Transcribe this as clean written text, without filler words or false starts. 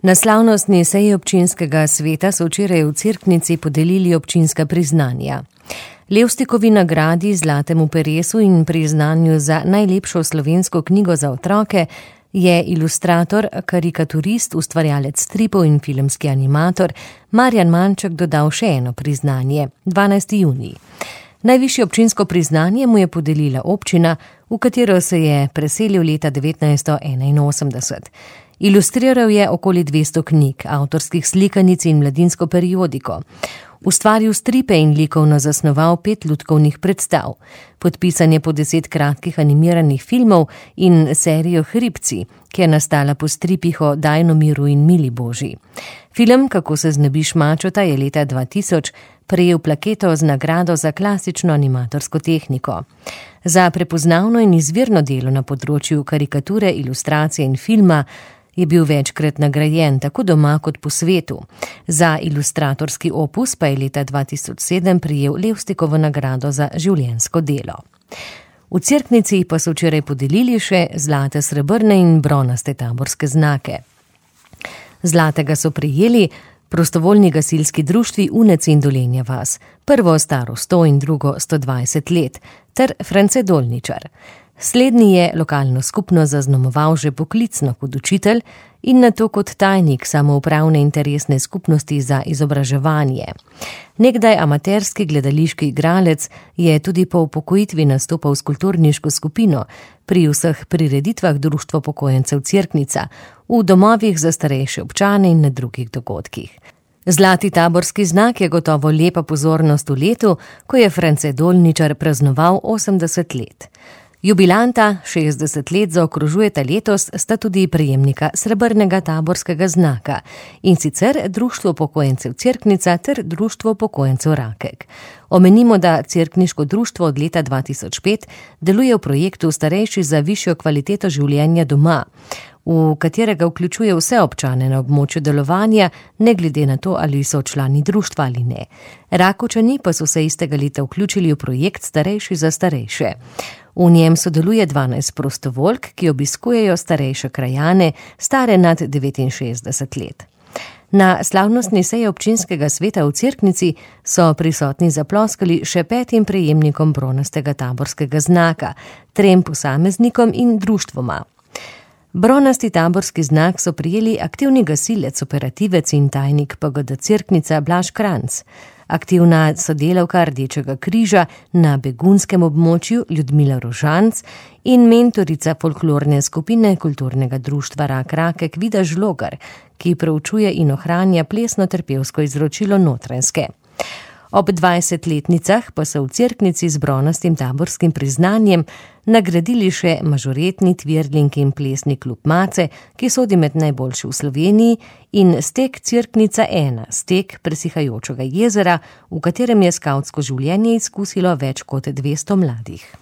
Na slavnostni seji občinskega sveta so včeraj v Cerknici podelili občinska priznanja. Levstikovi nagradi, Zlatemu peresu in priznanju za najlepšo slovensko knjigo za otroke je ilustrator, karikaturist, ustvarjalec stripov in filmski animator Marjan Manček dodal še eno priznanje, 12. junij. Najvišje občinsko priznanje mu je podelila občina, v katero se je preselil leta 1981. Ilustriral je okoli 200 knjig, avtorskih slikanic in mladinsko periodiko. Ustvaril stripe in likovno zasnoval 5 lutkovnih predstav. Podpisan je po 10 kratkih animiranih filmov in serijo Hribci, ki je nastala po stripih o Dajnomiru in Mili Božji. Film Kako se znebiš mačota je leta 2000 prejel plaketo z nagrado za klasično animatorsko tehniko. Za prepoznavno in izvirno delo na področju karikature, ilustracije in filma je bil večkrat nagrajen tako doma kot po svetu. Za ilustratorski opus pa je leta 2007 prejel Levstikovo nagrado za življenjsko delo. V Cerknici pa so včeraj podelili še zlate, srebrne in bronaste taborske znake. Zlatega so prejeli prostovoljni gasilski društvi Unec in Dolenja vas, prvo staro 100 in drugo 120 let, ter France Dolničar. Slednji je lokalno skupnost zaznamoval že poklicno kot učitelj in nato kot tajnik samoupravne interesne skupnosti za izobraževanje. Nekdaj amaterski gledališki igralec je tudi po upokojitvi nastopal s kulturniško skupino pri vseh prireditvah Društvo upokojencev Cerknica, v domovih za starejše občane in na drugih dogodkih. Zlati taborski znak je gotovo lepa pozornost v letu, ko je France Dolničar praznoval 80 let. Jubilanta 60 let zaokrožujeta letos sta tudi prejemnika srebrnega taborskega znaka, in sicer Društvo upokojencev Cerknica ter Društvo upokojencev Rakek. Omenimo, da Cerkniško društvo od leta 2005 deluje v projektu Starejši za višjo kvaliteto življenja doma, v katerega vključuje vse občane na območju delovanja, ne glede na to, ali so člani društva ali ne. Rakovčani pa so se istega leta vključili v projekt Starejši za starejše. V njem sodeluje 12 prostovoljk, ki obiskujejo starejše krajane, stare nad 69 let. Na slavnostni seji občinskega sveta v Cerknici so prisotni zaploskali še 5 prejemnikom bronastega taborskega znaka, 3 posameznikom in društvoma. Bronasti taborski znak so prijeli aktivni gasilec, operativec in tajnik PGD Cerknica Blaž Kranc, aktivna sodelavka Rdečega križa na begunskem območju Ljudmila Rožanc in mentorica folklorne skupine kulturnega društva Rakek Vida Žlogar, ki proučuje in ohranja plesno-terpevsko izročilo Notranjske. Ob 20-letnicah pa so v Cerknici z bronastim taborskim priznanjem nagradili še mažoretni tvirling in plesni klub Mace, ki sodi med najboljši v Sloveniji, in Stek Cerknica 1, stek presihajočega jezera, v katerem je skavtsko življenje izkusilo več kot 200 mladih.